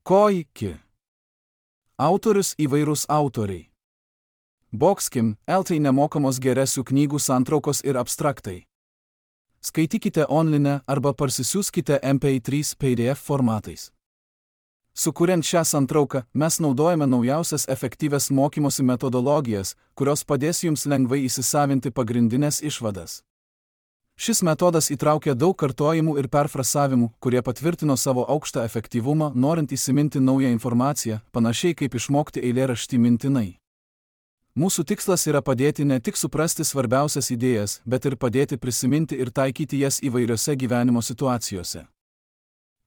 Koiki. Autorius įvairūs autoriai. Boxkim, LT nemokamos geresių knygų santraukos ir abstraktai. Skaitykite online arba parsisiųskite MP3 PDF formatais. Sukuriant šią santrauką, mes naudojame naujausias efektyvias mokymosi metodologijas, kurios padės jums lengvai įsisavinti pagrindinės išvadas. Šis metodas įtraukia daug kartojimų ir perfrasavimų, kurie patvirtino savo aukštą efektyvumą, norint įsiminti naują informaciją, panašiai kaip išmokti eilėraštį mintinai. Mūsų tikslas yra padėti ne tik suprasti svarbiausias idėjas, bet ir padėti prisiminti ir taikyti jas įvairiose gyvenimo situacijose.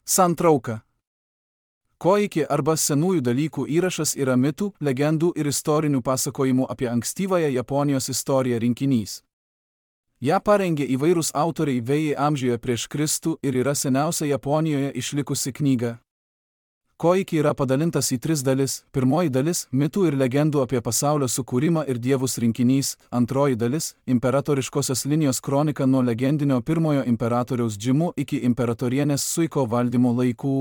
Santrauka. Koiki arba senųjų dalykų įrašas yra mitų, legendų ir istorinių pasakojimų apie ankstyvąją Japonijos istoriją rinkinys. Ja parengė įvairūs autoriai vėjai amžiuje prieš Kristų ir yra seniausia Japonijoje išlikusi knyga. Koiki yra padalintas į 3 dalis. Pirmoji dalis – mitų ir legendų apie pasaulio sukūrimą ir dievus rinkinys. Antroji dalis – imperatoriškosios linijos kronika nuo legendinio pirmojo imperatoriaus Džimu iki imperatorienės Suiko valdymo laikų.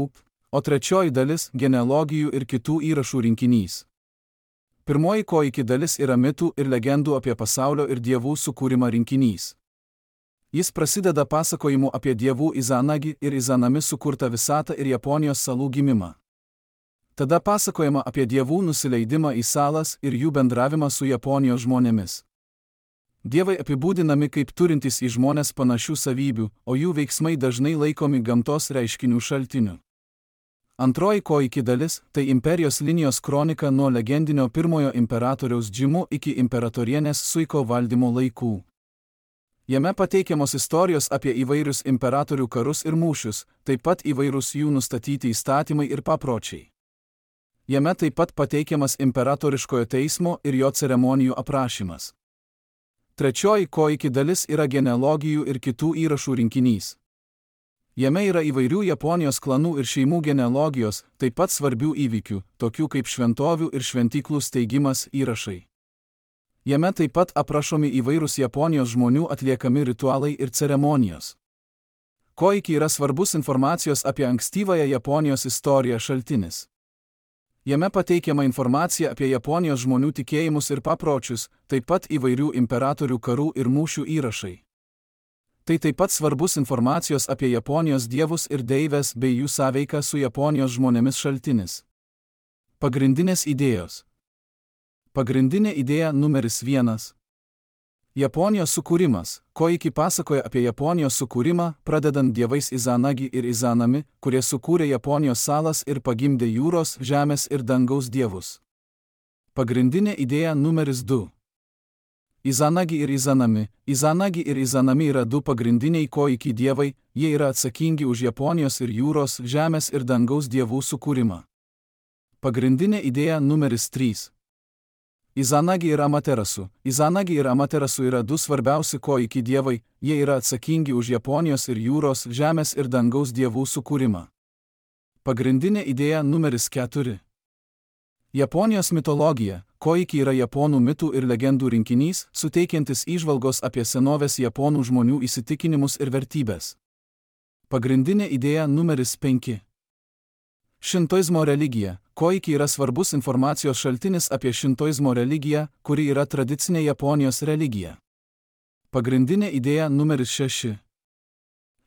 O trečioji dalis – genealogijų ir kitų įrašų rinkinys. Pirmoji koiki dalis yra mitų ir legendų apie pasaulio ir dievų sukūrimą rinkinys. Jis prasideda pasakojimu apie dievų Izanagi ir Izanami sukurtą visatą ir Japonijos salų gimimą. Tada pasakojama apie dievų nusileidimą į salas ir jų bendravimą su Japonijos žmonėmis. Dievai apibūdinami kaip turintys į žmones panašių savybių, o jų veiksmai dažnai laikomi gamtos reiškinių šaltiniu. Antroji koiki dalis – tai imperijos linijos kronika nuo legendinio pirmojo imperatoriaus Džimu iki imperatorienės Suiko valdymo laikų. Jame pateikiamos istorijos apie įvairius imperatorių karus ir mūšius, taip pat įvairūs jų nustatyti įstatymai ir papročiai. Jame taip pat pateikiamas imperatoriškojo teismo ir jo ceremonijų aprašymas. Trečioji koiki dalis yra genealogijų ir kitų įrašų rinkinys. Jame yra įvairių Japonijos klanų ir šeimų genealogijos, taip pat svarbių įvykių, tokių kaip šventovių ir šventyklų steigimas įrašai. Jame taip pat aprašomi įvairūs Japonijos žmonių atliekami ritualai ir ceremonijos. Koiki yra svarbus informacijos apie ankstyvąją Japonijos istoriją šaltinis. Jame pateikiama informacija apie Japonijos žmonių tikėjimus ir papročius, taip pat įvairių imperatorių karų ir mūšių įrašai. Tai taip pat svarbus informacijos apie Japonijos dievus ir deives bei jų sąveiką su Japonijos žmonėmis šaltinis. Pagrindinės idėjos. Pagrindinė idėja numeris 1. Japonijos sukūrimas. Koiki pasakoja apie Japonijos sukūrimą, pradedant dievais Izanagi ir Izanami, kurie sukūrė Japonijos salas ir pagimdė jūros, žemės ir dangaus dievus. Pagrindinė idėja numeris 2. Izanagi ir Izanami. Izanagi ir Izanami yra 2 pagrindiniai koiki dievai, jie yra atsakingi už Japonijos ir jūros, žemės ir dangaus dievų sukūrimą. Pagrindinė idėja numeris 3. Izanagi ir Amaterasu. Izanagi ir Amaterasu yra 2 svarbiausi koiki dievai, jie yra atsakingi už Japonijos ir jūros, žemės ir dangaus dievų sukūrimą. Pagrindinė idėja numeris 4. Japonijos mitologija. Koiki yra japonų mitų ir legendų rinkinys, suteikiantis įžvalgos apie senovės japonų žmonių įsitikinimus ir vertybės. Pagrindinė idėja numeris 5. Šintoizmo religija. Koiki yra svarbus informacijos šaltinis apie šintoizmo religiją, kuri yra tradicinė Japonijos religija. Pagrindinė idėja numeris 6.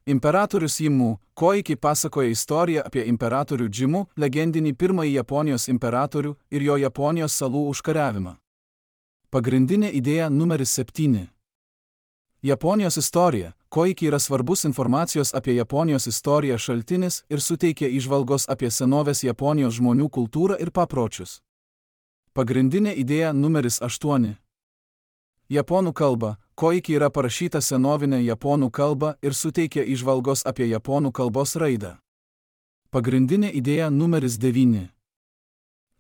Imperatorius Jimu. Koiki pasakoja istoriją apie imperatorių Džimu, legendinį pirmąjį Japonijos imperatorių ir jo Japonijos salų užkariavimą. Pagrindinė idėja numeris 7. Japonijos istorija. Koiki yra svarbus informacijos apie Japonijos istoriją šaltinis ir suteikia įžvalgos apie senovės Japonijos žmonių kultūrą ir papročius. Pagrindinė idėja numeris 8. Japonų kalba. Koiki yra parašyta senovinė japonų kalba ir suteikia įžvalgos apie japonų kalbos raidą. Pagrindinė idėja numeris 9.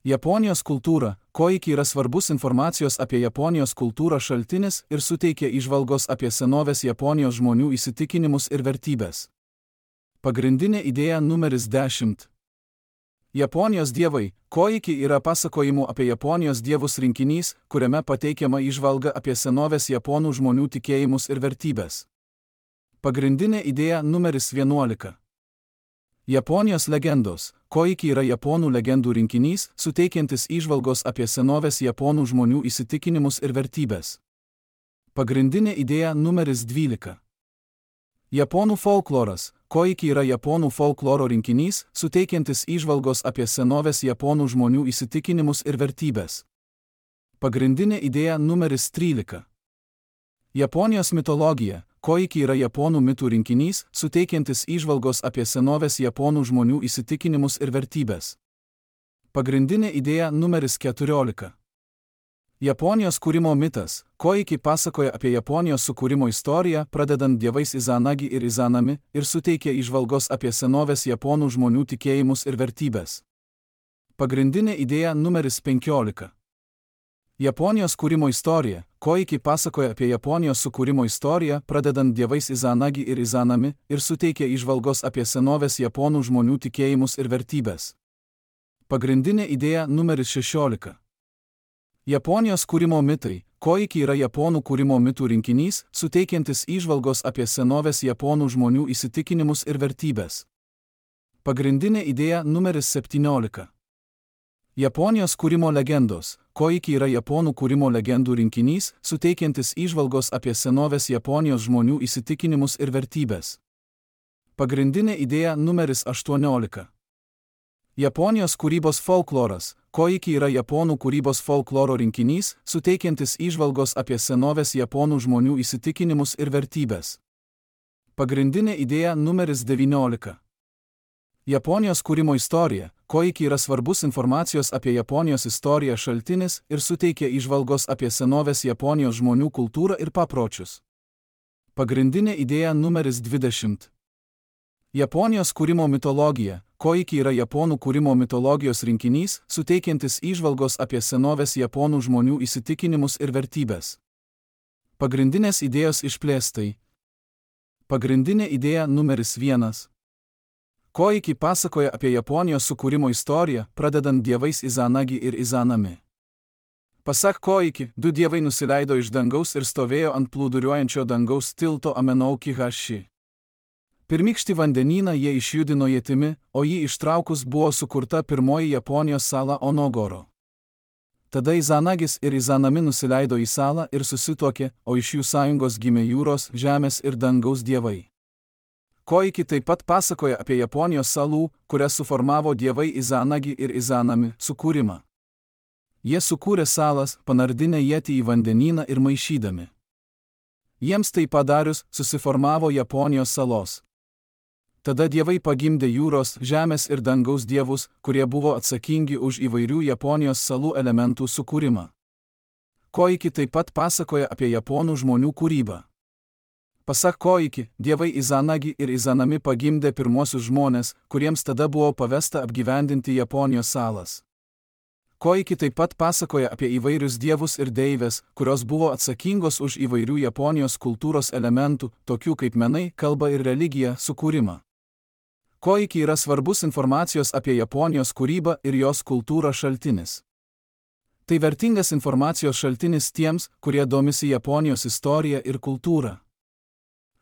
Japonijos kultūra. Koiki yra svarbus informacijos apie Japonijos kultūrą šaltinis ir suteikia įžvalgos apie senovės Japonijos žmonių įsitikinimus ir vertybės. Pagrindinė idėja numeris 10. Japonijos dievai. Koiki yra pasakojimų apie Japonijos dievus rinkinys, kuriame pateikiama įžvalga apie senovės japonų žmonių tikėjimus ir vertybės. Pagrindinė idėja numeris 11. Japonijos legendos. Koiki yra japonų legendų rinkinys, suteikiantis įžvalgos apie senovės japonų žmonių įsitikinimus ir vertybės. Pagrindinė idėja numeris 12. Japonų folkloras. Koiki yra japonų folkloro rinkinys, suteikiantis įžvalgos apie senovės japonų žmonių įsitikinimus ir vertybės. Pagrindinė idėja numeris 13. Japonijos mitologija. Koiki yra japonų mitų rinkinys, suteikiantis įžvalgos apie senovės japonų žmonių įsitikinimus ir vertybės. Pagrindinė idėja numeris 14. Japonijos kūrimo mitas. Koiki pasakoja apie Japonijos sukūrimo istoriją, pradedant dievais Izanagi ir Izanami, ir suteikia įžvalgos apie senovės japonų žmonių tikėjimus ir vertybės. Pagrindinė idėja numeris 15. Japonijos kūrimo istorija. Koiki pasakoja apie Japonijos sukūrimo istoriją, pradedant dievais Izanagi ir Izanami, ir suteikia įžvalgos apie senovės japonų žmonių tikėjimus ir vertybės. Pagrindinė idėja numeris 16. Japonijos kūrimo mitai. Koiki yra japonų kūrimo mitų rinkinys, suteikiantis įžvalgos apie senovės japonų žmonių įsitikinimus ir vertybės. Pagrindinė idėja numeris 17. Japonijos kūrimo legendos. Koiki yra japonų kūrimo legendų rinkinys, suteikiantis įžvalgos apie senovės Japonijos žmonių įsitikinimus ir vertybės. Pagrindinė idėja numeris 18. Japonijos kūrybos folkloras. Koiki yra japonų kūrybos folkloro rinkinys, suteikiantis įžvalgos apie senovės japonų žmonių įsitikinimus ir vertybės. Pagrindinė idėja numeris 19. Japonijos kūrimo istorija. Koiki yra svarbus informacijos apie Japonijos istoriją šaltinis ir suteikia įžvalgos apie senovės Japonijos žmonių kultūrą ir papročius. Pagrindinė idėja numeris 20. Japonijos kūrimo mitologija. Koiki yra japonų kūrimo mitologijos rinkinys, suteikiantis įžvalgos apie senovės japonų žmonių įsitikinimus ir vertybės. Pagrindinės idėjos išplėstai. Pagrindinė idėja numeris 1. Koiki pasakoja apie Japonijos sukūrimo istoriją, pradedant dievais Izanagi ir Izanami. Pasak Koiki, 2 dievai nusileido iš dangaus ir stovėjo ant plūduriuojančio dangaus tilto Amenouki Hashi. Pirmykštį vandenyną jie išjudino ietimi, o jį ištraukus buvo sukurta pirmoji Japonijos sala Onogoro. Tada Izanagis ir Izanami nusileido į salą ir susituokė, o iš jų sąjungos gimė jūros, žemės ir dangaus dievai. Koiki taip pat pasakoja apie Japonijos salų, kurias suformavo dievai Izanagi ir Izanami, sukūrimą. Jie sukūrė salas, panardinę ietį į vandenyną ir maišydami. Jiems tai padarius, susiformavo Japonijos salos. Tada dievai pagimdė jūros, žemės ir dangaus dievus, kurie buvo atsakingi už įvairių Japonijos salų elementų sukūrimą. Koiki taip pat pasakoja apie japonų žmonių kūrybą. Pasak Koiki, dievai Izanagi ir Izanami pagimdė pirmosius žmones, kuriems tada buvo pavesta apgyvendinti Japonijos salas. Koiki taip pat pasakoja apie įvairius dievus ir deivės, kurios buvo atsakingos už įvairių Japonijos kultūros elementų, tokių kaip menai, kalba ir religija, sukūrimą. Koiki yra svarbus informacijos apie Japonijos kūrybą ir jos kultūrą šaltinis. Tai vertingas informacijos šaltinis tiems, kurie domisi Japonijos istorija ir kultūra.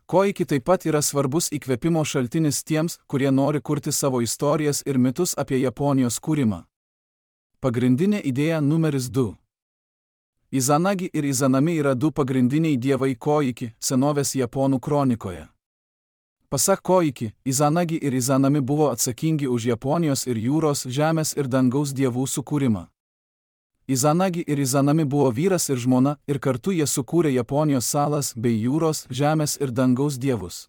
Koiki taip pat yra svarbus įkvėpimo šaltinis tiems, kurie nori kurti savo istorijas ir mitus apie Japonijos kūrimą. Pagrindinė idėja numeris 2. Izanagi ir Izanami yra 2 pagrindiniai dievai Koiki, senovės japonų kronikoje. Pasak Koiki, Izanagi ir Izanami buvo atsakingi už Japonijos ir jūros, žemės ir dangaus dievų sukūrimą. Izanagi ir Izanami buvo vyras ir žmona, ir kartu jie sukūrė Japonijos salas bei jūros, žemės ir dangaus dievus.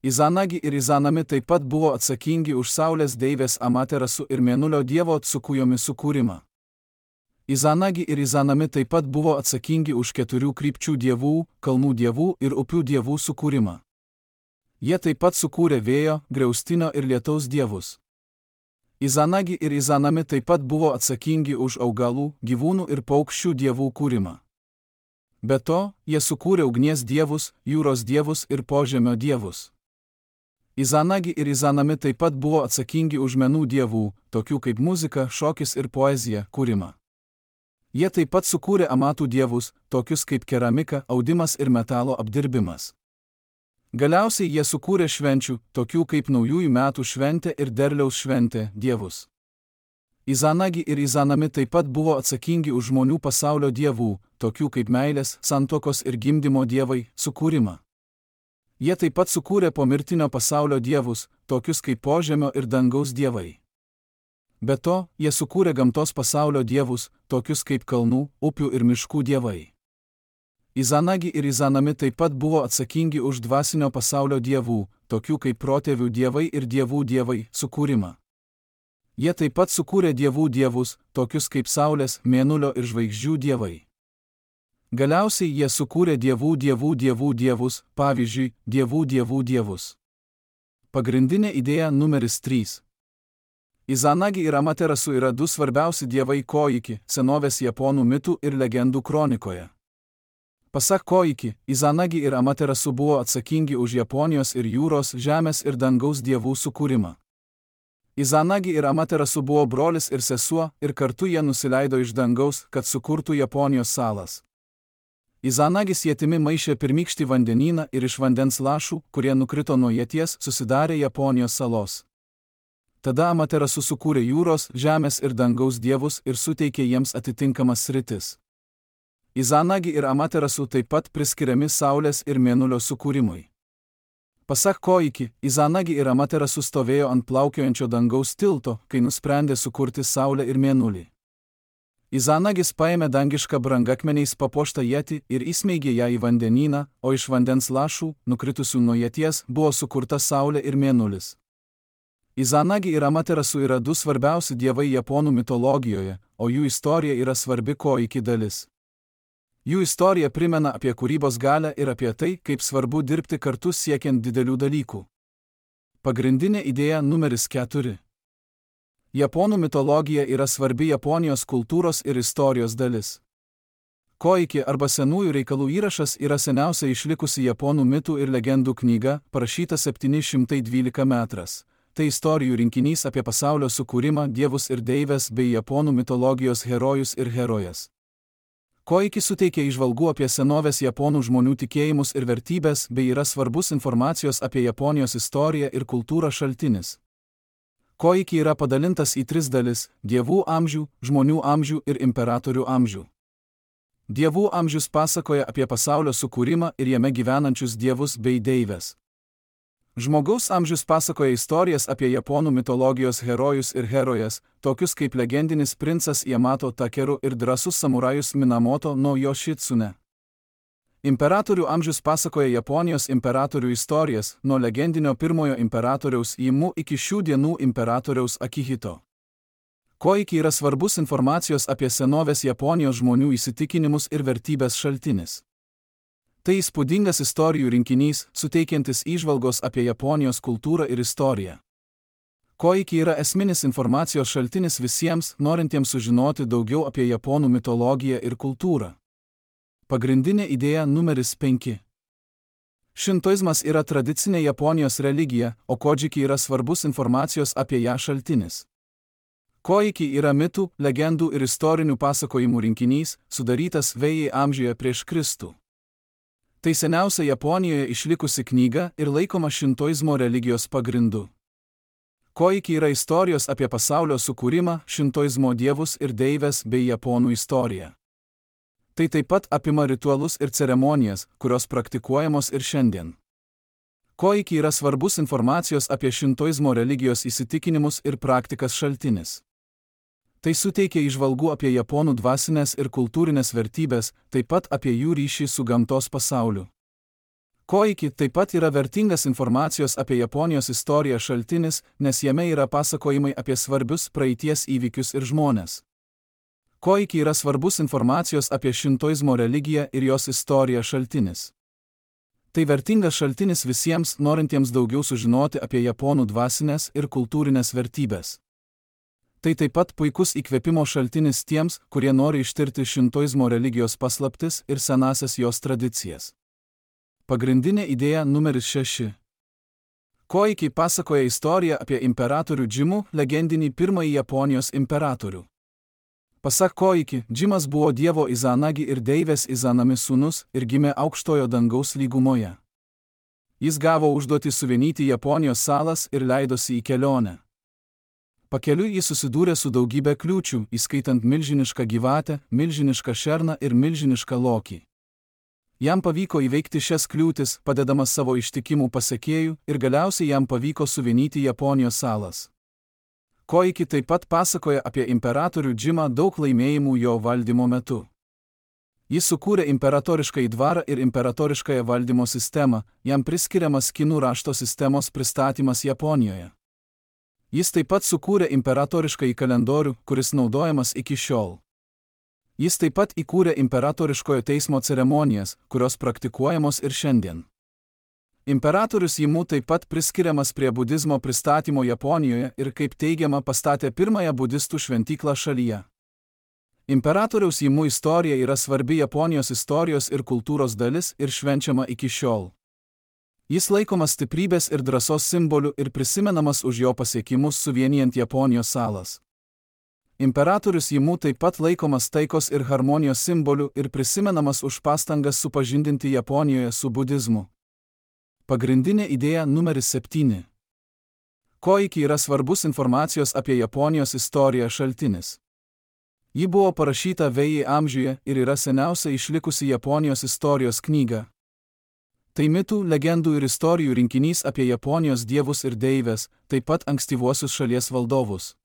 Izanagi ir Izanami taip pat buvo atsakingi už saulės deivės Amaterasu ir mėnulio dievo Tsukujomi sukūrimą. Izanagi ir Izanami taip pat buvo atsakingi už 4 krypčių dievų, kalnų dievų ir upių dievų sukūrimą. Jie taip pat sukūrė vėjo, griaustinio ir lietaus dievus. Izanagi ir Izanami taip pat buvo atsakingi už augalų, gyvūnų ir paukščių dievų kūrimą. Be to, jie sukūrė ugnies dievus, jūros dievus ir požemio dievus. Izanagi ir Izanami taip pat buvo atsakingi už menų dievų, tokių kaip muzika, šokis ir poezija, kūrimą. Jie taip pat sukūrė amatų dievus, tokius kaip keramika, audimas ir metalo apdirbimas. Galiausiai jie sukūrė švenčių, tokių kaip naujųjų metų šventė ir derliaus šventė, dievus. Izanagi ir Izanami taip pat buvo atsakingi už žmonių pasaulio dievų, tokių kaip meilės, santuokos ir gimdymo dievai, sukūrimą. Jie taip pat sukūrė pomirtinio pasaulio dievus, tokius kaip požemio ir dangaus dievai. Be to, jie sukūrė gamtos pasaulio dievus, tokius kaip kalnų, upių ir miškų dievai. Izanagi ir Izanami taip pat buvo atsakingi už dvasinio pasaulio dievų, tokių kaip protėvių dievai ir dievų dievai, sukūrimą. Jie taip pat sukūrė dievų dievus, tokius kaip saulės, mėnulio ir žvaigždžių dievai. Galiausiai jie sukūrė dievų dievus, pavyzdžiui, dievų dievus. Pagrindinė idėja numeris 3. Izanagi ir Amaterasu yra du svarbiausi dievai Koiki, senovės japonų mitų ir legendų kronikoje. Pasak Koiki, Izanagi ir Amaterasu buvo atsakingi už Japonijos ir jūros, žemės ir dangaus dievų sukūrimą. Izanagi ir Amaterasu buvo brolis ir sesuo, ir kartu jie nusileido iš dangaus, kad sukurtų Japonijos salas. Izanagis ietimi maišė pirmykštį vandenyną ir iš vandens lašų, kurie nukrito nuo ieties, susidarė Japonijos salos. Tada Amaterasu sukūrė jūros, žemės ir dangaus dievus ir suteikė jiems atitinkamas sritis. Izanagi ir Amaterasu taip pat priskiriami saulės ir mėnulio sukūrimui. Pasak Koiki, Izanagi ir Amaterasu stovėjo ant plaukiojančio dangaus tilto, kai nusprendė sukurti saulę ir mėnulį. Izanagis paėmė dangišką brangakmeniais papuoštą ietį ir įsmeigė ją į vandenyną, o iš vandens lašų, nukritusių nuo ieties, buvo sukurta saulė ir mėnulis. Izanagi ir Amaterasu yra du svarbiausi dievai japonų mitologijoje, o jų istorija yra svarbi Koiki dalis. Jų istorija primena apie kūrybos galią ir apie tai, kaip svarbu dirbti kartu siekiant didelių dalykų. Pagrindinė idėja numeris 4. Japonų mitologija yra svarbi Japonijos kultūros ir istorijos dalis. Koiki arba senųjų reikalų įrašas yra seniausia išlikusi japonų mitų ir legendų knyga, parašyta 712 metras. Tai istorijų rinkinys apie pasaulio sukūrimą, dievus ir deives bei japonų mitologijos herojus ir herojas. Koiki suteikia įžvalgų apie senovės japonų žmonių tikėjimus ir vertybės bei yra svarbus informacijos apie Japonijos istoriją ir kultūrą šaltinis. Koiki yra padalintas į 3 dalis – dievų amžių, žmonių amžių ir imperatorių amžių. Dievų amžius pasakoja apie pasaulio sukūrimą ir jame gyvenančius dievus bei deives. Žmogaus amžius pasakoja istorijas apie japonų mitologijos herojus ir herojas, tokius kaip legendinis princas Yamato Takeru ir drąsus samurajus Minamoto no Yoshitsune. Imperatorių amžius pasakoja Japonijos imperatorių istorijas, nuo legendinio pirmojo imperatoriaus Imu iki šių dienų imperatoriaus Akihito. Koiki yra svarbus informacijos apie senovės Japonijos žmonių įsitikinimus ir vertybės šaltinis. Tai įspūdingas istorijų rinkinys, suteikiantis įžvalgos apie Japonijos kultūrą ir istoriją. Koiki yra esminis informacijos šaltinis visiems, norintiems sužinoti daugiau apie japonų mitologiją ir kultūrą. Pagrindinė idėja numeris 5. Šintoizmas yra tradicinė Japonijos religija, o kodžiki yra svarbus informacijos apie ją šaltinis. Koiki yra mitų, legendų ir istorinių pasakojimų rinkinys, sudarytas Vėjai amžiuje prieš Kristų. Tai seniausia Japonijoje išlikusi knyga ir laikoma šintoizmo religijos pagrindu. Koiki yra istorijos apie pasaulio sukūrimą, šintoizmo dievus ir deives bei japonų istoriją. Tai taip pat apima ritualus ir ceremonijas, kurios praktikuojamos ir šiandien. Koiki yra svarbus informacijos apie šintoizmo religijos įsitikinimus ir praktikas šaltinis. Tai suteikia įžvalgų apie japonų dvasinės ir kultūrinės vertybės, taip pat apie jų ryšį su gamtos pasauliu. Koiki taip pat yra vertingas informacijos apie Japonijos istoriją šaltinis, nes jame yra pasakojimai apie svarbius praeities įvykius ir žmones. Koiki yra svarbus informacijos apie šintoizmo religiją ir jos istoriją šaltinis. Tai vertingas šaltinis visiems, norintiems daugiau sužinoti apie japonų dvasinės ir kultūrinės vertybės. Tai taip pat puikus įkvėpimo šaltinis tiems, kurie nori ištirti šintoizmo religijos paslaptis ir senasias jos tradicijas. Pagrindinė idėja numeris 6. Koiki pasakoja istoriją apie imperatorių Džimų, legendinį pirmąjį Japonijos imperatorių. Pasak Koiki, Džimas buvo dievo Izanagi ir deivės Izanami sūnus ir gimė aukštojo dangaus lygumoje. Jis gavo užduotį suvienyti Japonijos salas ir leidosi į kelionę. Pakeliui jis susidūrė su daugybė kliūčių, įskaitant milžinišką gyvatę, milžinišką šerną ir milžinišką lokį. Jam pavyko įveikti šias kliūtis, padedamas savo ištikimų pasekėjų, ir galiausiai jam pavyko suvienyti Japonijos salas. Koiki taip pat pasakoja apie imperatorių Džimą daug laimėjimų jo valdymo metu. Jis sukūrė imperatoriškąjį dvarą ir imperatoriškąją valdymo sistemą, jam priskiriamas kinų rašto sistemos pristatymas Japonijoje. Jis taip pat sukūrė imperatoriškąjį kalendorių, kuris naudojamas iki šiol. Jis taip pat įkūrė imperatoriškojo teismo ceremonijas, kurios praktikuojamos ir šiandien. Imperatorius Jimu taip pat priskiriamas prie budizmo pristatymo Japonijoje ir, kaip teigiama, pastatė pirmąją budistų šventyklą šalyje. Imperatoriaus Jimu istorija yra svarbi Japonijos istorijos ir kultūros dalis ir švenčiama iki šiol. Jis laikomas stiprybės ir drąsos simboliu ir prisimenamas už jo pasiekimus suvienijant Japonijos salas. Imperatorius Jimu taip pat laikomas taikos ir harmonijos simboliu ir prisimenamas už pastangas supažindinti Japonijoje su budizmu. Pagrindinė idėja numeris 7. Koiki yra svarbus informacijos apie Japonijos istoriją šaltinis. Ji buvo parašyta Vėjai amžiuje ir yra seniausia išlikusi Japonijos istorijos knyga. Tai mitų, legendų ir istorijų rinkinys apie Japonijos dievus ir deivės, taip pat ankstyvuosius šalies valdovus.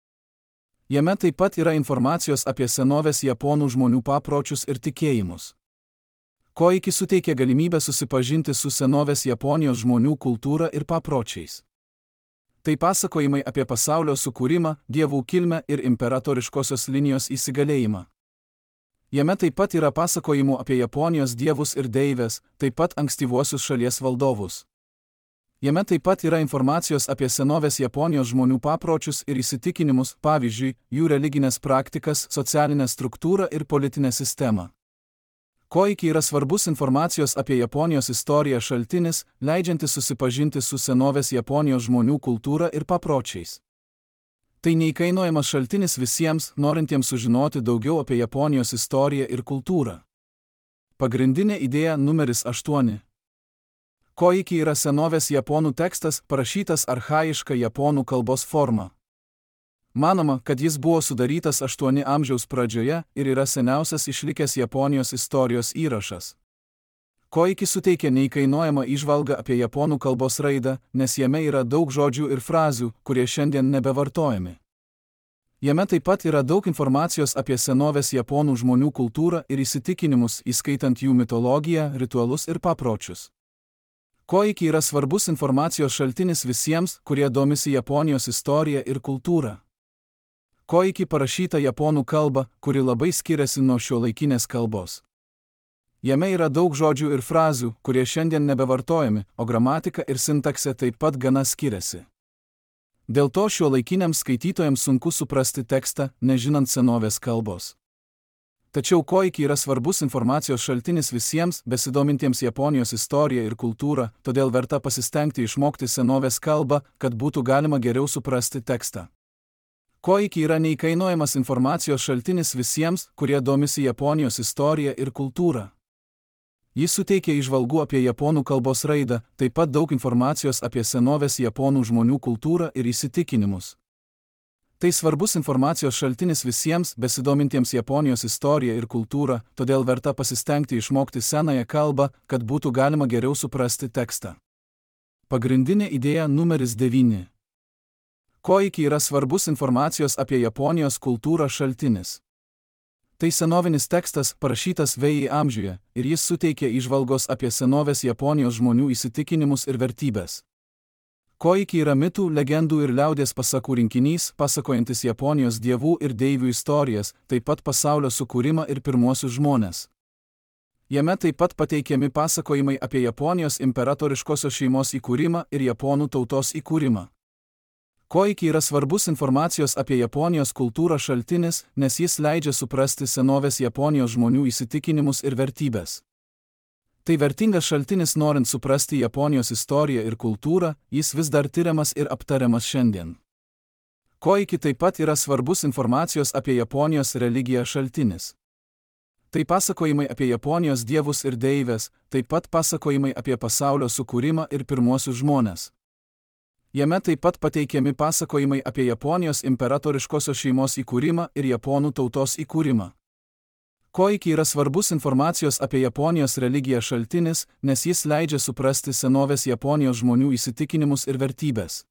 Jame taip pat yra informacijos apie senovės japonų žmonių papročius ir tikėjimus. Koiki suteikia galimybę susipažinti su senovės Japonijos žmonių kultūra ir papročiais. Tai pasakojimai apie pasaulio sukūrimą, dievų kilmę ir imperatoriškosios linijos įsigalėjimą. Jame taip pat yra pasakojimų apie Japonijos dievus ir deivės, taip pat ankstyvuosius šalies valdovus. Jame taip pat yra informacijos apie senovės Japonijos žmonių papročius ir įsitikinimus, pavyzdžiui, jų religinės praktikas, socialinę struktūrą ir politinę sistemą. Koiki yra svarbus informacijos apie Japonijos istoriją šaltinis, leidžiantis susipažinti su senovės Japonijos žmonių kultūra ir papročiais. Tai neįkainojamas šaltinis visiems, norintiems sužinoti daugiau apie Japonijos istoriją ir kultūrą. Pagrindinė idėja numeris 8. Koiki yra senovės japonų tekstas, parašytas archaiška japonų kalbos forma. Manoma, kad jis buvo sudarytas 8 amžiaus pradžioje ir yra seniausias išlikęs Japonijos istorijos įrašas. Koiki suteikia neįkainojamą įžvalgą apie japonų kalbos raidą, nes jame yra daug žodžių ir frazių, kurie šiandien nebevartojami. Jame taip pat yra daug informacijos apie senovės japonų žmonių kultūrą ir įsitikinimus, įskaitant jų mitologiją, ritualus ir papročius. Koiki yra svarbus informacijos šaltinis visiems, kurie domisi Japonijos istorija ir kultūra. Koiki parašyta japonų kalba, kuri labai skiriasi nuo šiuolaikinės kalbos. Jame yra daug žodžių ir frazių, kurie šiandien nebevartojami, o gramatika ir sintaksė taip pat gana skiriasi. Dėl to šiuolaikiniams skaitytojams sunku suprasti tekstą, nežinant senovės kalbos. Tačiau koiki yra svarbus informacijos šaltinis visiems, besidomintiems Japonijos istoriją ir kultūrą, todėl verta pasistengti išmokti senovės kalbą, kad būtų galima geriau suprasti tekstą. Koiki yra neįkainojamas informacijos šaltinis visiems, kurie domisi Japonijos istorija ir kultūra. Jis suteikia įžvalgų apie japonų kalbos raidą, taip pat daug informacijos apie senovės japonų žmonių kultūrą ir įsitikinimus. Tai svarbus informacijos šaltinis visiems, besidomintiems Japonijos istoriją ir kultūrą, todėl verta pasistengti išmokti senąją kalbą, kad būtų galima geriau suprasti tekstą. Pagrindinė idėja numeris 9. Koiki yra svarbus informacijos apie Japonijos kultūrą šaltinis. Tai senovinis tekstas, parašytas Vėjai amžiuje, ir jis suteikia įžvalgos apie senovės Japonijos žmonių įsitikinimus ir vertybės. Koiki yra mitų, legendų ir liaudies pasakų rinkinys, pasakojantis Japonijos dievų ir deivių istorijas, taip pat pasaulio sukūrimą ir pirmuosius žmones. Jame taip pat pateikiami pasakojimai apie Japonijos imperatoriškosios šeimos įkūrimą ir japonų tautos įkūrimą. Koiki yra svarbus informacijos apie Japonijos kultūrą šaltinis, nes jis leidžia suprasti senovės Japonijos žmonių įsitikinimus ir vertybės. Tai vertingas šaltinis norint suprasti Japonijos istoriją ir kultūrą, jis vis dar tiriamas ir aptariamas šiandien. Koiki taip pat yra svarbus informacijos apie Japonijos religiją šaltinis. Tai pasakojimai apie Japonijos dievus ir deivės, taip pat pasakojimai apie pasaulio sukūrimą ir pirmuosius žmones. Jame taip pat pateikiami pasakojimai apie Japonijos imperatoriškosios šeimos įkūrimą ir japonų tautos įkūrimą. Koiki yra svarbus informacijos apie Japonijos religiją šaltinis, nes jis leidžia suprasti senovės Japonijos žmonių įsitikinimus ir vertybės.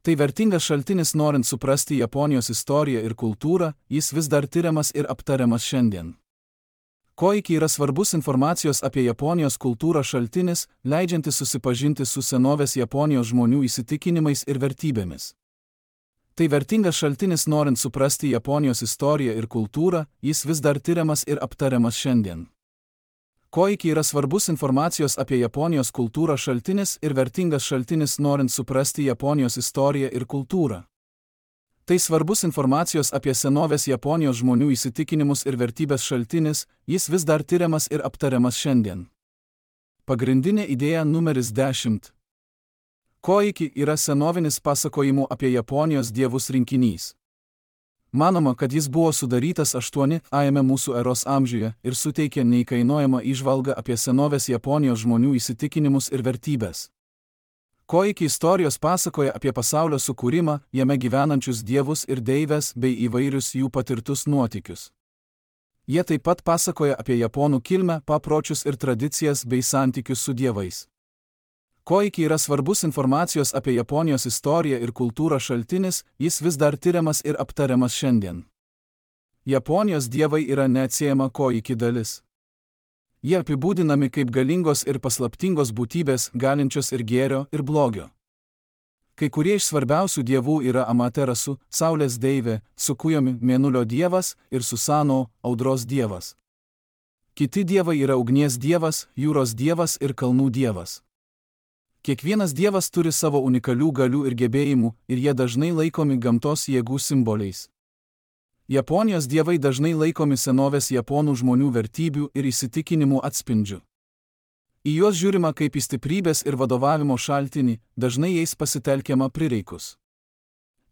Tai vertingas šaltinis norint suprasti Japonijos istoriją ir kultūrą, jis vis dar tiriamas ir aptariamas šiandien. Koiki yra svarbus informacijos apie Japonijos kultūrą šaltinis, leidžiantis susipažinti su senovės Japonijos žmonių įsitikinimais ir vertybėmis. Tai vertingas šaltinis norint suprasti Japonijos istoriją ir kultūrą, jis vis dar tiriamas ir aptariamas šiandien. Koiki yra svarbus informacijos apie Japonijos kultūrą šaltinis ir vertingas šaltinis norint suprasti Japonijos istoriją ir kultūrą. Tai svarbus informacijos apie senovės Japonijos žmonių įsitikinimus ir vertybės šaltinis, jis vis dar tiriamas ir aptariamas šiandien. Pagrindinė idėja numeris 10. Koiki yra senovinis pasakojimų apie Japonijos dievus rinkinys. Manoma, kad jis buvo sudarytas 8-ajame mūsų eros amžiuje ir suteikė neįkainojamą įžvalgą apie senovės Japonijos žmonių įsitikinimus ir vertybės. Koiki istorijos pasakoja apie pasaulio sukūrimą, jame gyvenančius dievus ir deivės bei įvairius jų patirtus nuotykius. Jie taip pat pasakoja apie japonų kilmę, papročius ir tradicijas bei santykius su dievais. Koiki yra svarbus informacijos apie Japonijos istoriją ir kultūrą šaltinis, jis vis dar tiriamas ir aptariamas šiandien. Japonijos dievai yra neatsiejama Koiki dalis. Jie apibūdinami kaip galingos ir paslaptingos būtybės, galinčios ir gėrio, ir blogio. Kai kurie iš svarbiausių dievų yra Amaterasu, saulės deivė, Sukujami, mėnulio dievas, ir Susano, audros dievas. Kiti dievai yra ugnies dievas, jūros dievas ir kalnų dievas. Kiekvienas dievas turi savo unikalių galių ir gebėjimų, ir jie dažnai laikomi gamtos jėgų simboliais. Japonijos dievai dažnai laikomi senovės japonų žmonių vertybių ir įsitikinimų atspindžiu. Į juos žiūrima kaip į stiprybės ir vadovavimo šaltinį, dažnai jais pasitelkiama prireikus.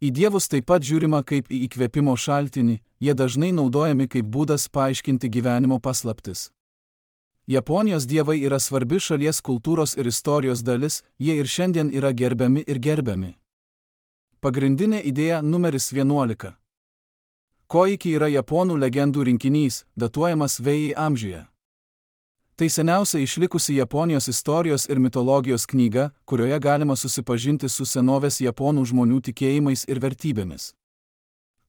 Į dievus taip pat žiūrima kaip į įkvėpimo šaltinį, jie dažnai naudojami kaip būdas paaiškinti gyvenimo paslaptis. Japonijos dievai yra svarbi šalies kultūros ir istorijos dalis, jie ir šiandien yra gerbiami ir gerbiami. Pagrindinė idėja numeris 11. Koiki yra japonų legendų rinkinys, datuojamas Vei amžiuje. Tai seniausia išlikusi Japonijos istorijos ir mitologijos knyga, kurioje galima susipažinti su senovės japonų žmonių tikėjimais ir vertybėmis.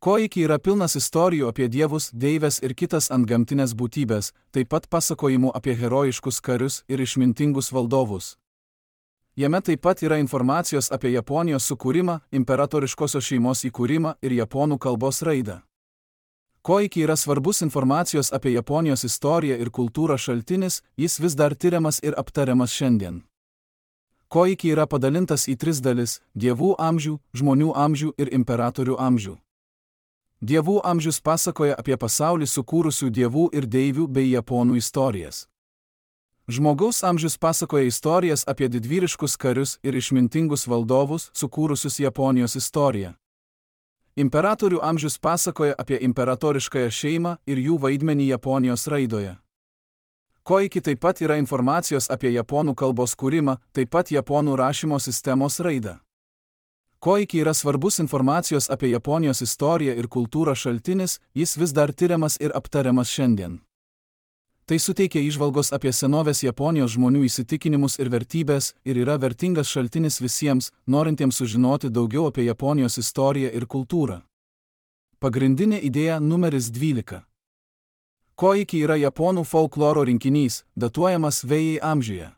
Koiki yra pilnas istorijų apie dievus, deives ir kitas antgamtinės būtybės, taip pat pasakojimų apie herojiškus karius ir išmintingus valdovus. Jame taip pat yra informacijos apie Japonijos sukūrimą, imperatoriškosios šeimos įkūrimą ir japonų kalbos raidą. Koiki yra svarbus informacijos apie Japonijos istoriją ir kultūrą šaltinis, jis vis dar tiriamas ir aptariamas šiandien. Koiki yra padalintas į 3 dalis – dievų amžių, žmonių amžių ir imperatorių amžių. Dievų amžius pasakoja apie pasaulį sukūrusių dievų ir deivių bei japonų istorijas. Žmogaus amžius pasakoja istorijas apie didvyriškus karius ir išmintingus valdovus, sukūrusius Japonijos istoriją. Imperatorių amžius pasakoja apie imperatoriškąją šeimą ir jų vaidmenį Japonijos raidoje. Koiki taip pat yra informacijos apie japonų kalbos kūrimą, taip pat japonų rašymo sistemos raidą. Koiki yra svarbus informacijos apie Japonijos istoriją ir kultūrą šaltinis, jis vis dar tiriamas ir aptariamas šiandien. Tai suteikia įžvalgos apie senovės Japonijos žmonių įsitikinimus ir vertybės ir yra vertingas šaltinis visiems, norintiems sužinoti daugiau apie Japonijos istoriją ir kultūrą. Pagrindinė idėja numeris 12. Koiki yra japonų folkloro rinkinys, datuojamas Vei amžiuje.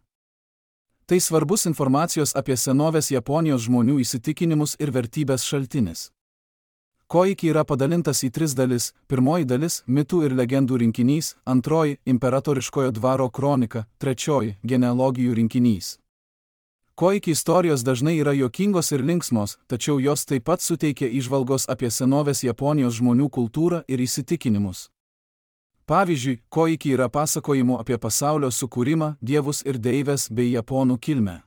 Tai svarbus informacijos apie senovės Japonijos žmonių įsitikinimus ir vertybės šaltinis. Koiki yra padalintas į 3 dalis. Pirmoji dalis – mitų ir legendų rinkinys, antroji – imperatoriškojo dvaro kronika, trečioji – genealogijų rinkinys. Koiki istorijos dažnai yra juokingos ir linksmos, tačiau jos taip pat suteikia įžvalgos apie senovės Japonijos žmonių kultūrą ir įsitikinimus. Pavyzdžiui, Koiki yra pasakojimų apie pasaulio sukūrimą, dievus ir deives bei japonų kilmę.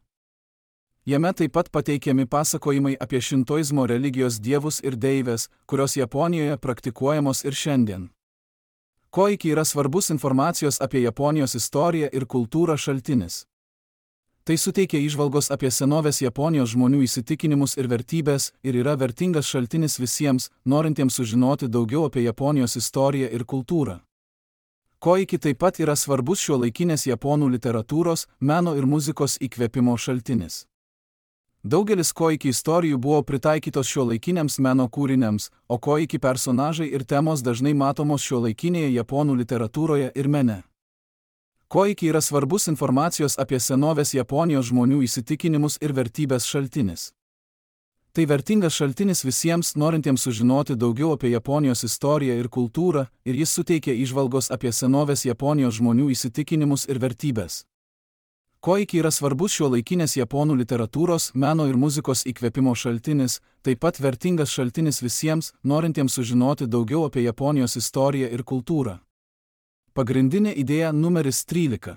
Jame taip pat pateikiami pasakojimai apie šintoizmo religijos dievus ir deives, kurios Japonijoje praktikuojamos ir šiandien. Koiki yra svarbus informacijos apie Japonijos istoriją ir kultūrą šaltinis. Tai suteikia įžvalgos apie senovės Japonijos žmonių įsitikinimus ir vertybės ir yra vertingas šaltinis visiems, norintiems sužinoti daugiau apie Japonijos istoriją ir kultūrą. Koiki taip pat yra svarbus šiuolaikinės japonų literatūros, meno ir muzikos įkvėpimo šaltinis. Daugelis koiki istorijų buvo pritaikytos šiuolaikiniams meno kūriniams, o koiki personažai ir temos dažnai matomos šiuolaikinėje japonų literatūroje ir mene. Koiki yra svarbus informacijos apie senovės Japonijos žmonių įsitikinimus ir vertybės šaltinis. Tai vertingas šaltinis visiems, norintiems sužinoti daugiau apie Japonijos istoriją ir kultūrą, ir jis suteikia įžvalgos apie senovės Japonijos žmonių įsitikinimus ir vertybės. Koiki yra svarbus šiuolaikinės japonų literatūros, meno ir muzikos įkvėpimo šaltinis, taip pat vertingas šaltinis visiems, norintiems sužinoti daugiau apie Japonijos istoriją ir kultūrą. Pagrindinė idėja numeris 13.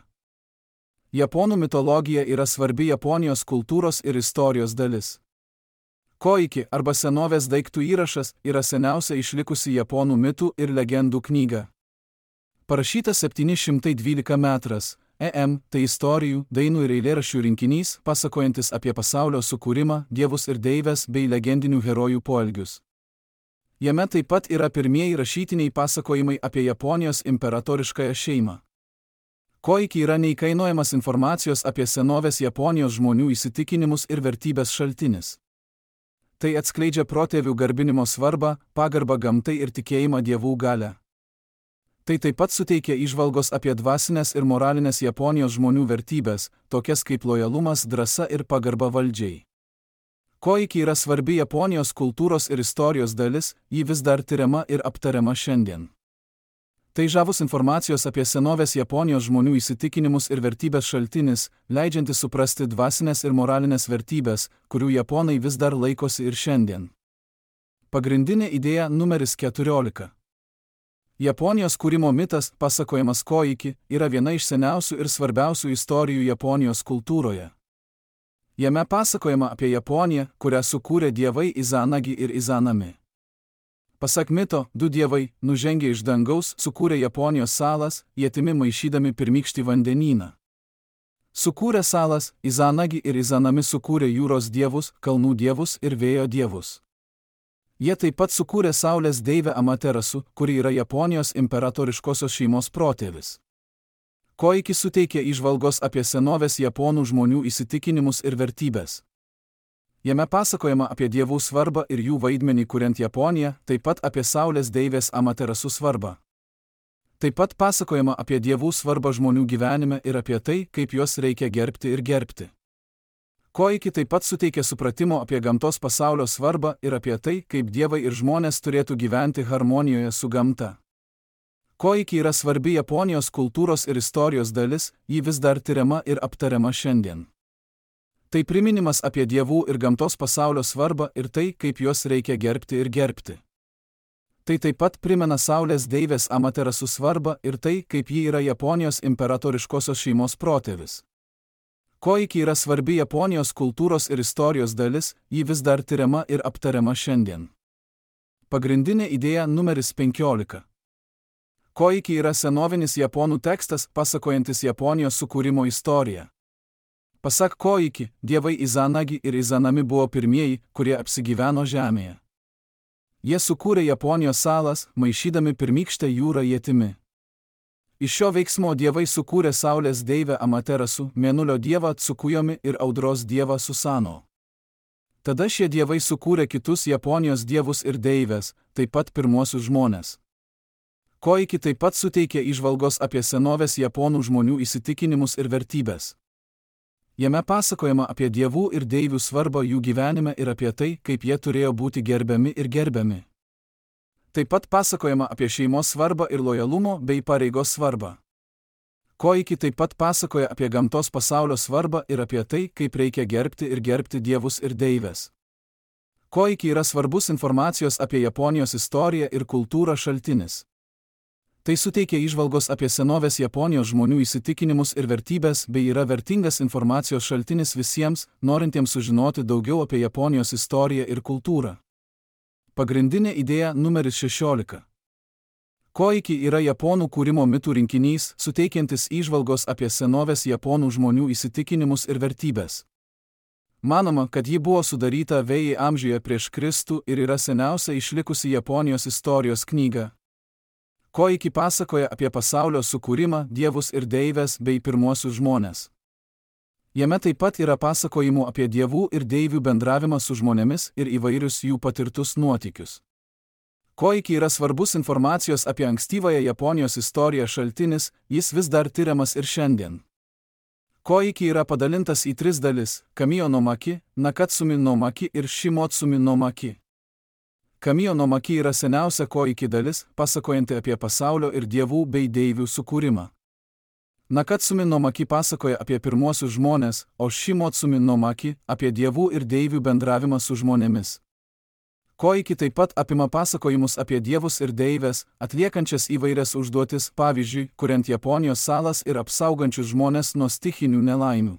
Japonų mitologija yra svarbi Japonijos kultūros ir istorijos dalis. Koiki arba senovės daiktų įrašas yra seniausia išlikusi japonų mitų ir legendų knyga. Parašyta 712 metras. Tai istorijų, dainų ir eilėraščių rinkinys, pasakojantis apie pasaulio sukūrimą, dievus ir deivės bei legendinių herojų poelgius. Jame taip pat yra pirmieji rašytiniai pasakojimai apie Japonijos imperatoriškąją šeimą. Koiki yra neįkainojamas informacijos apie senovės Japonijos žmonių įsitikinimus ir vertybės šaltinis. Tai atskleidžia protėvių garbinimo svarbą, pagarbą gamtai ir tikėjimą dievų galią. Tai taip pat suteikia įžvalgos apie dvasinės ir moralinės Japonijos žmonių vertybės, tokias kaip lojalumas, drąsa ir pagarba valdžiai. Koiki yra svarbi Japonijos kultūros ir istorijos dalis, ji vis dar tiriama ir aptariama šiandien. Tai žavus informacijos apie senovės Japonijos žmonių įsitikinimus ir vertybės šaltinis, leidžiantis suprasti dvasinės ir moralinės vertybės, kurių japonai vis dar laikosi ir šiandien. Pagrindinė idėja numeris 14. Japonijos kūrimo mitas, pasakojamas Koiki, yra viena iš seniausių ir svarbiausių istorijų Japonijos kultūroje. Jame pasakojama apie Japoniją, kurią sukūrė dievai Izanagi ir Izanami. Pasak mito, du dievai, nužengę iš dangaus, sukūrė Japonijos salas, ietimi maišydami pirmykštį vandenyną. Sukūrę salas, Izanagi ir Izanami sukūrė jūros dievus, kalnų dievus ir vėjo dievus. Jie taip pat sukūrė saulės deivę Amaterasu, kuri yra Japonijos imperatoriškosios šeimos protėvis. Koiki suteikia įžvalgos apie senovės japonų žmonių įsitikinimus ir vertybės. Jame pasakojama apie dievų svarbą ir jų vaidmenį kuriant Japoniją, taip pat apie saulės deivės Amaterasu svarbą. Taip pat pasakojama apie dievų svarbą žmonių gyvenime ir apie tai, kaip juos reikia gerbti ir gerbti. Koiki taip pat suteikia supratimo apie gamtos pasaulio svarbą ir apie tai, kaip dievai ir žmonės turėtų gyventi harmonijoje su gamta. Koiki yra svarbi Japonijos kultūros ir istorijos dalis, ji vis dar tiriama ir aptariama šiandien. Tai priminimas apie dievų ir gamtos pasaulio svarbą ir tai, kaip juos reikia gerbti ir gerbti. Tai taip pat primena saulės deivės Amaterasu svarbą ir tai, kaip ji yra Japonijos imperatoriškosios šeimos protėvis. Koiki yra svarbi Japonijos kultūros ir istorijos dalis, ji vis dar tiriama ir aptariama šiandien. Pagrindinė idėja numeris 15. Koiki yra senovinis japonų tekstas, pasakojantis Japonijos sukūrimo istoriją. Pasak Koiki, dievai Izanagi ir Izanami buvo pirmieji, kurie apsigyveno žemėje. Jie sukūrė Japonijos salas, maišydami pirmykštę jūrą ietimi. Iš šio veiksmo dievai sukūrė saulės deivę Amaterasu, mėnulio dievą Tsukujomi ir audros dievą Susano. Tada šie dievai sukūrė kitus Japonijos dievus ir deivės, taip pat pirmuosius žmones. Koiki taip pat suteikė įžvalgos apie senovės japonų žmonių įsitikinimus ir vertybės. Jame pasakojama apie dievų ir deivių svarbą jų gyvenime ir apie tai, kaip jie turėjo būti gerbiami ir gerbiami. Taip pat pasakojama apie šeimos svarbą ir lojalumo bei pareigos svarbą. Koiki taip pat pasakoja apie gamtos pasaulio svarbą ir apie tai, kaip reikia gerbti ir gerbti dievus ir deivės. Koiki yra svarbus informacijos apie Japonijos istoriją ir kultūrą šaltinis. Tai suteikia įžvalgos apie senovės Japonijos žmonių įsitikinimus ir vertybės bei yra vertingas informacijos šaltinis visiems, norintiems sužinoti daugiau apie Japonijos istoriją ir kultūrą. Pagrindinė idėja numeris 16. Koiki yra japonų kūrimo mitų rinkinys, suteikiantis įžvalgos apie senovės japonų žmonių įsitikinimus ir vertybės. Manoma, kad ji buvo sudaryta VI amžiuje prieš Kristų ir yra seniausia išlikusi Japonijos istorijos knyga. Koiki pasakoja apie pasaulio sukūrimą, dievus ir deivės bei pirmuosius žmones. Jame taip pat yra pasakojimų apie dievų ir deivių bendravimą su žmonėmis ir įvairius jų patirtus nuotykius. Koiki yra svarbus informacijos apie ankstyvąją Japonijos istoriją šaltinis, jis vis dar tiriamas ir šiandien. Koiki yra padalintas į 3 dalis – Kamijo no Maki, Nakatsumi no Maki ir Shimotsumi no Maki. Kamijo no Maki yra seniausia Koiki dalis, pasakojanti apie pasaulio ir dievų bei deivių sukūrimą. Nakatsumi no Maki pasakoja apie pirmuosius žmones, o Shimotsumi no Maki apie dievų ir deivių bendravimą su žmonėmis. Koiki taip pat apima pasakojimus apie dievus ir deivės, atliekančias įvairias užduotis, pavyzdžiui, kuriant Japonijos salas ir apsaugančius žmones nuo stichinių nelaimių.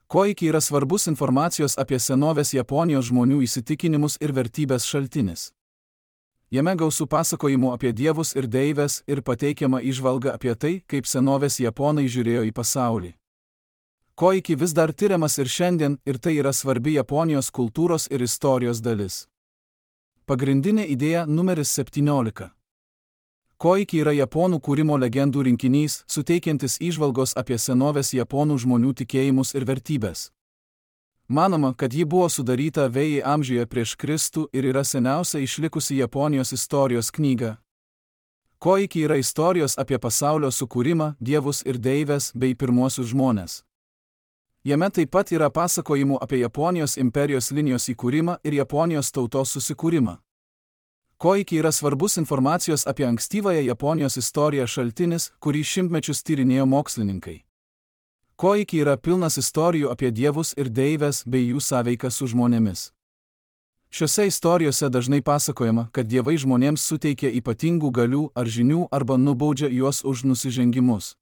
Koiki yra svarbus informacijos apie senovės Japonijos žmonių įsitikinimus ir vertybės šaltinis. Jame gausu pasakojimų apie dievus ir deivės ir pateikiama įžvalga apie tai, kaip senovės japonai žiūrėjo į pasaulį. Koiki vis dar tiriamas ir šiandien, ir tai yra svarbi Japonijos kultūros ir istorijos dalis. Pagrindinė idėja numeris 17. Koiki yra japonų kūrimo legendų rinkinys, suteikiantis įžvalgos apie senovės japonų žmonių tikėjimus ir vertybės. Manoma, kad ji buvo sudaryta VI amžiuje prieš Kristų ir yra seniausia išlikusi Japonijos istorijos knyga. Koiki yra istorijos apie pasaulio sukūrimą, dievus ir deivės bei pirmuosius žmones. Jame taip pat yra pasakojimų apie Japonijos imperijos linijos įkūrimą ir Japonijos tautos susikūrimą. Koiki yra svarbus informacijos apie ankstyvąją Japonijos istoriją šaltinis, kurį šimtmečius tyrinėjo mokslininkai. Koiki yra pilnas istorijų apie dievus ir deivės bei jų sąveiką su žmonėmis. Šiose istorijose dažnai pasakojama, kad dievai žmonėms suteikia ypatingų galių ar žinių arba nubaudžia juos už nusižengimus.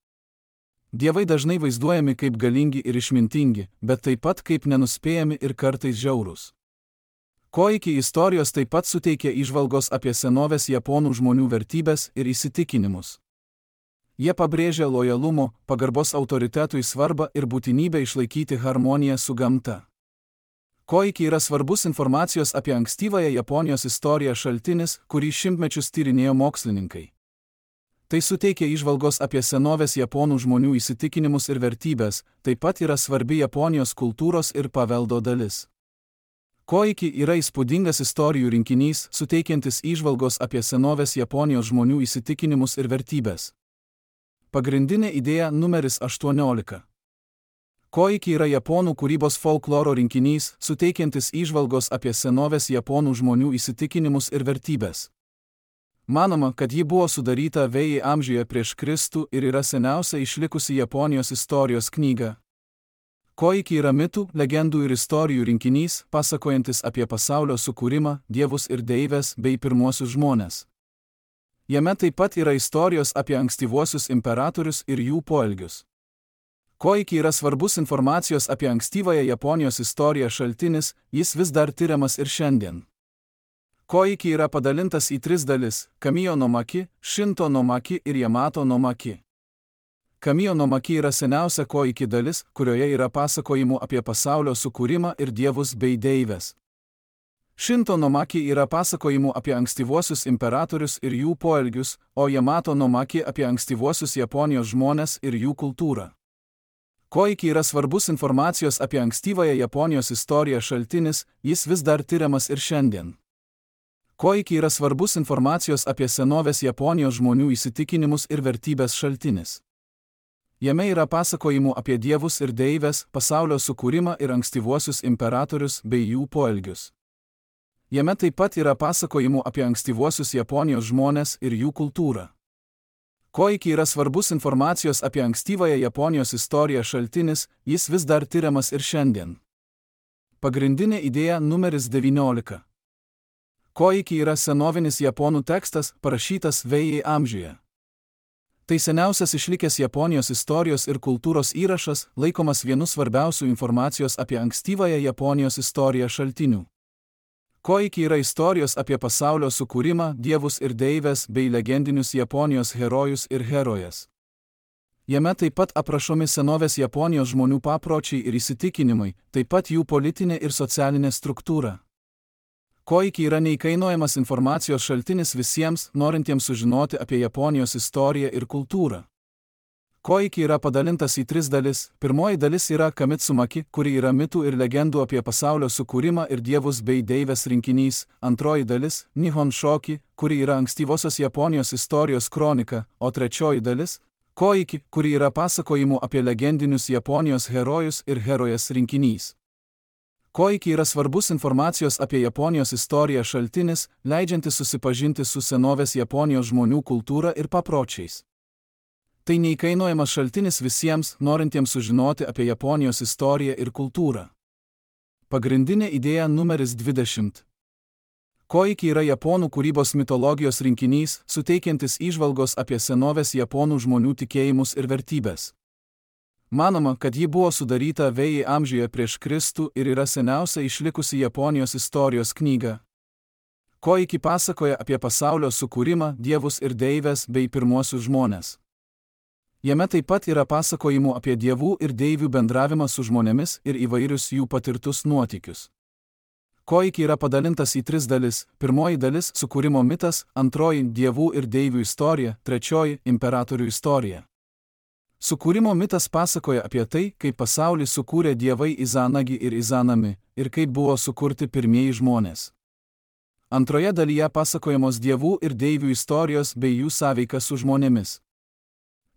Dievai dažnai vaizduojami kaip galingi ir išmintingi, bet taip pat kaip nenuspėjami ir kartais žiaurūs. Koiki istorijos taip pat suteikia įžvalgos apie senovės japonų žmonių vertybės ir įsitikinimus. Jie pabrėžia lojalumo, pagarbos autoritetui svarbą ir būtinybę išlaikyti harmoniją su gamta. Koiki yra svarbus informacijos apie ankstyvąją Japonijos istoriją šaltinis, kurį šimtmečius tyrinėjo mokslininkai. Tai suteikia įžvalgos apie senovės japonų žmonių įsitikinimus ir vertybės, taip pat yra svarbi Japonijos kultūros ir paveldo dalis. Koiki yra įspūdingas istorijų rinkinys, suteikiantis įžvalgos apie senovės Japonijos žmonių įsitikinimus ir vertybės. Pagrindinė idėja numeris 18. Koiki yra japonų kūrybos folkloro rinkinys, suteikiantis įžvalgos apie senovės japonų žmonių įsitikinimus ir vertybės. Manoma, kad ji buvo sudaryta VI amžiuje prieš Kristų ir yra seniausia išlikusi Japonijos istorijos knyga. Koiki yra mitų, legendų ir istorijų rinkinys, pasakojantis apie pasaulio sukūrimą, dievus ir deivės bei pirmuosius žmones. Jame taip pat yra istorijos apie ankstyvuosius imperatorius ir jų poelgius. Koiki yra svarbus informacijos apie ankstyvąją Japonijos istoriją šaltinis, jis vis dar tiriamas ir šiandien. Koiki yra padalintas į 3 dalis – Kamijo no Maki, Shinto no Maki ir Yamato no Maki. Kamijo no Maki yra seniausia Koiki dalis, kurioje yra pasakojimų apie pasaulio sukūrimą ir dievus bei deivės. Shinto no Maki yra pasakojimų apie ankstyvuosius imperatorius ir jų poelgius, o Yamato no Maki apie ankstyvuosius Japonijos žmones ir jų kultūrą. Koiki yra svarbus informacijos apie ankstyvąją Japonijos istoriją šaltinis, jis vis dar tiriamas ir šiandien. Koiki yra svarbus informacijos apie senovės Japonijos žmonių įsitikinimus ir vertybės šaltinis. Jame yra pasakojimų apie dievus ir deivės, pasaulio sukūrimą ir ankstyvuosius imperatorius bei jų poelgius. Jame taip pat yra pasakojimų apie ankstyvuosius Japonijos žmones ir jų kultūrą. Koiki yra svarbus informacijos apie ankstyvąją Japonijos istoriją šaltinis, jis vis dar tiriamas ir šiandien. Pagrindinė idėja numeris 19. Koiki yra senovinis japonų tekstas, parašytas VI amžiuje. Tai seniausias išlikęs Japonijos istorijos ir kultūros įrašas, laikomas vienu svarbiausių informacijos apie ankstyvąją Japonijos istoriją šaltinių. Koiki yra istorijos apie pasaulio sukūrimą, dievus ir deivės bei legendinius Japonijos herojus ir herojes. Jame taip pat aprašomi senovės Japonijos žmonių papročiai ir įsitikinimai, taip pat jų politinė ir socialinė struktūra. Koiki yra neįkainojamas informacijos šaltinis visiems, norintiems sužinoti apie Japonijos istoriją ir kultūrą. Koiki yra padalintas į 3 dalis. Pirmoji dalis yra Kamitsumaki, kuri yra mitų ir legendų apie pasaulio sukūrimą ir dievus bei deivės rinkinys. Antroji dalis – Nihon Shoki, kuri yra ankstyvosios Japonijos istorijos kronika, o trečioji dalis – Koiki, kuri yra pasakojimų apie legendinius Japonijos herojus ir herojes rinkinys. Koiki yra svarbus informacijos apie Japonijos istoriją šaltinis, leidžiantis susipažinti su senovės Japonijos žmonių kultūra ir papročiais. Tai neįkainojamas šaltinis visiems, norintiems sužinoti apie Japonijos istoriją ir kultūrą. Pagrindinė idėja numeris 20. Koiki yra japonų kūrybos mitologijos rinkinys, suteikiantis įžvalgos apie senovės japonų žmonių tikėjimus ir vertybės. Manoma, kad ji buvo sudaryta VI amžiuje prieš Kristų ir yra seniausia išlikusi Japonijos istorijos knyga. Koiki pasakoja apie pasaulio sukūrimą, dievus ir deivės bei pirmuosius žmones. Jame taip pat yra pasakojimų apie dievų ir deivių bendravimą su žmonėmis ir įvairius jų patirtus nuotykius. Koiki yra padalintas į 3 dalis. Pirmoji dalis – sukūrimo mitas, antroji – dievų ir deivių istorija, trečioji – imperatorių istorija. Sukūrimo mitas pasakoja apie tai, kaip pasaulį sukūrė dievai Izanagi ir Izanami, ir kaip buvo sukurti pirmieji žmonės. Antroje dalyje pasakojamos dievų ir deivių istorijos bei jų sąveika su žmonėmis.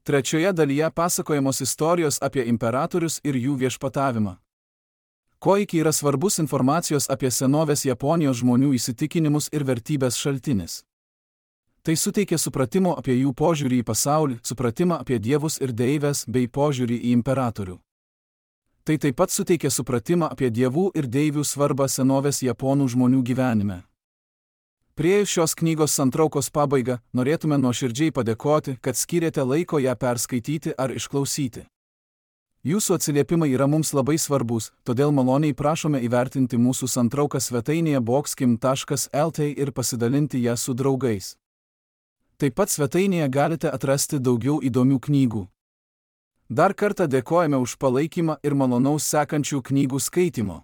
Trečioje dalyje pasakojamos istorijos apie imperatorius ir jų viešpatavimą. Koiki yra svarbus informacijos apie senovės Japonijos žmonių įsitikinimus ir vertybės šaltinis. Tai suteikia supratimo apie jų požiūrį į pasaulį, supratimą apie dievus ir deivės bei požiūrį į imperatorių. Tai taip pat suteikia supratimą apie dievų ir deivių svarbą senovės Japonų žmonių gyvenime. Priėjus šios knygos santraukos pabaigą, norėtume nuoširdžiai padėkoti, kad skyrėte laiko ją perskaityti ar išklausyti. Jūsų atsiliepimai yra mums labai svarbus, todėl maloniai prašome įvertinti mūsų santrauką svetainėje boxkim.lt ir pasidalinti ją su draugais. Taip pat svetainėje galite atrasti daugiau įdomių knygų. Dar kartą dėkojame už palaikymą ir malonaus sekančių knygų skaitimo.